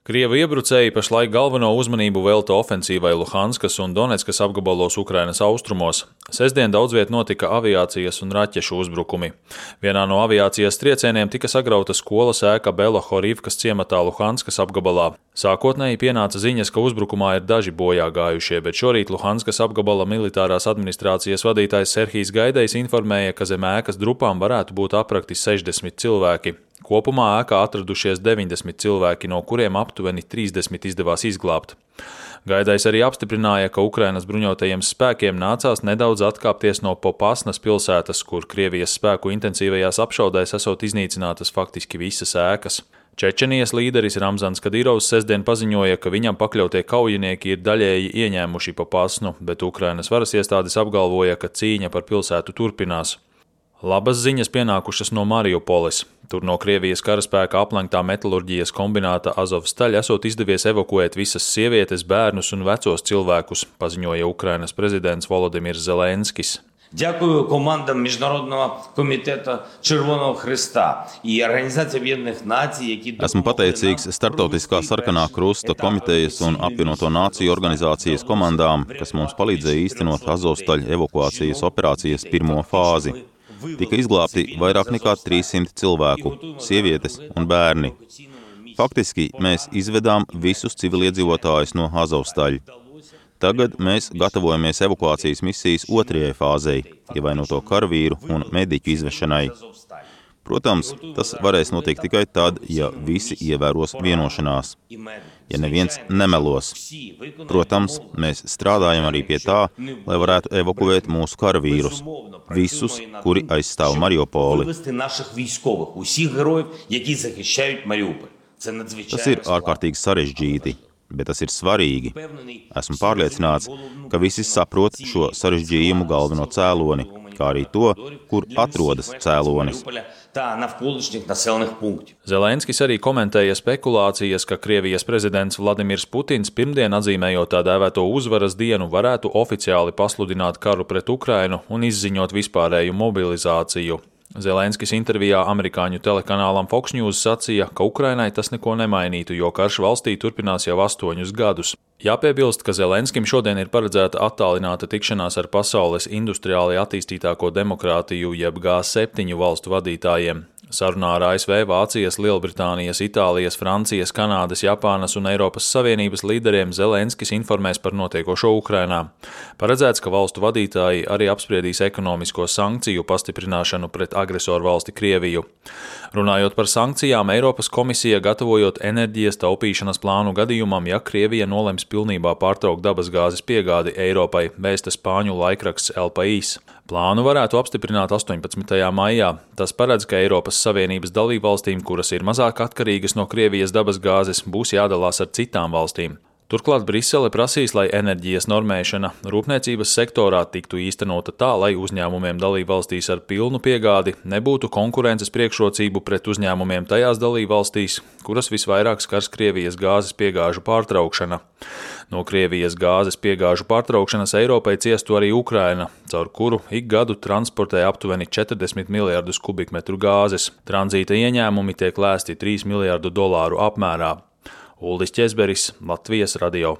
Krievu iebrucēji pašlaik galveno uzmanību velta ofensīvai Luhanskas un Donetskas apgabalos Ukrainas austrumos. Sestdien daudz viet notika aviācijas un raķešu uzbrukumi. Vienā no aviācijas triecieniem tika sagrauta skolas ēka Belohorivkas ciematā Luhanskas apgabalā. Sākotnēji pienāca ziņas, ka uzbrukumā ir daži bojā gājušie, bet šorīt Luhanskas apgabala militārās administrācijas vadītājs Serhijs Gaidejs informēja, ka zem ēkas drupām varētu būt aprakti 60 cilvēki. Kopumā ēkā atradušies 90 cilvēki, no kuriem aptuveni 30 izdevās izglābt. Gaidejs arī apstiprināja, ka Ukrainas bruņotajiem spēkiem nācās nedaudz atkāpties no Popasnas pilsētas, kur Krievijas spēku intensīvajās apšaudēs esot iznīcinātas faktiski visas ēkas. Čečenijas līderis Ramzans Kadīrovs sestdien paziņoja, ka viņam pakļautie kaujinieki ir daļēji ieņēmuši Popasnu, bet Ukrainas varas iestādes apgalvoja, ka cīņa par pilsētu turpinās. Labas ziņas pienākušas no Mariupoles. Tur no Krievijas karaspēka aplenktā metalurģijas kombināta Azovstaļ esot izdevies evakuēt visas sievietes, bērnus un vecos cilvēkus, paziņoja Ukrainas prezidents Volodimirs Zelenskis. Дякую командам Міжнародного комітету Червоного Хреста і Організації Об'єднаних Націй, які Esmu pateicīgs Startautiskā sarkanā krusta komitejas un apvienoto nāciju organizācijas komandām, kas mums palīdzēja īstenot Azovstaļ evakuācijas operācijas pirmo fāzi. Tika izglābti vairāk nekā 300 cilvēku, sievietes un bērni. Faktiski mēs izvedām visus civiliedzīvotājus no Azovstaļ. Tagad mēs gatavojamies evakuācijas misijas otrajai fāzei, ievainoto karavīru un mediķu izvešanai. Protams, tas varēs notikt tikai tad, ja visi ievēros vienošanās, ja neviens nemelos. Protams, mēs strādājam arī pie tā, lai varētu evakuēt mūsu karavīrus, visus, kuri aizstāv Mariupoli. Tas ir ārkārtīgi sarežģīti, bet tas ir svarīgi. Esmu pārliecināts, ka visi saprot šo sarežģījumu galveno cēloni, kā arī to, kur atrodas cēlonis. Zelenskis arī komentēja spekulācijas, ka Krievijas prezidents Vladimirs Putins pirmdien atzīmējot tā dēvēto uzvaras dienu varētu oficiāli pasludināt karu pret Ukrainu un izziņot vispārēju mobilizāciju. Zelenskis intervijā amerikāņu telekanālam Fox News sacīja, ka Ukrainai tas neko nemainītu, jo karš valstī turpinās jau 8 gadus. Jāpiebilst, ka Zelenskim šodien ir paredzēta attālināta tikšanās ar pasaules industriāli attīstītāko demokrātiju jeb G7 valstu vadītājiem. Sarunā ar ASV, Vācijas, Lielbritānijas, Itālijas, Francijas, Kanādas, Japānas un Eiropas Savienības līderiem Zelenskis informēs par notiekošo Ukrainā. Paredzēts, ka valstu vadītāji arī apspriedīs ekonomisko sankciju pastiprināšanu pret agresoru valsti Krieviju. Runājot par sankcijām, Eiropas komisija gatavojot enerģijas taupīšanas plānu gadījumam, ja Krievija nolems pilnībā pārtraukt dabasgāzes piegādi Eiropai, vēsta spāņu laikraksts El País. Plānu varētu apstiprināt 18. maijā. Tas paredz, ka Eiropas Savienības dalībvalstīm, kuras ir mazāk atkarīgas no Krievijas dabasgāzes, būs jādalās ar citām valstīm. Turklāt Brisele prasīs, lai enerģijas normēšana rūpniecības sektorā tiktu īstenota tā, lai uzņēmumiem dalībvalstīs ar pilnu piegādi nebūtu konkurences priekšrocību pret uzņēmumiem tajās dalībvalstīs, kuras visvairāk skars Krievijas gāzes piegāžu pārtraukšana. No Krievijas gāzes piegāžu pārtraukšanas Eiropai ciestu arī Ukraina, caur kuru ik gadu transportē aptuveni 40 miljardus kubikmetru gāzes. Tranzīta ieņēmumi tiek lēsti $3 miljardu apmērā. Uldis Ķezberis, Latvijas radio.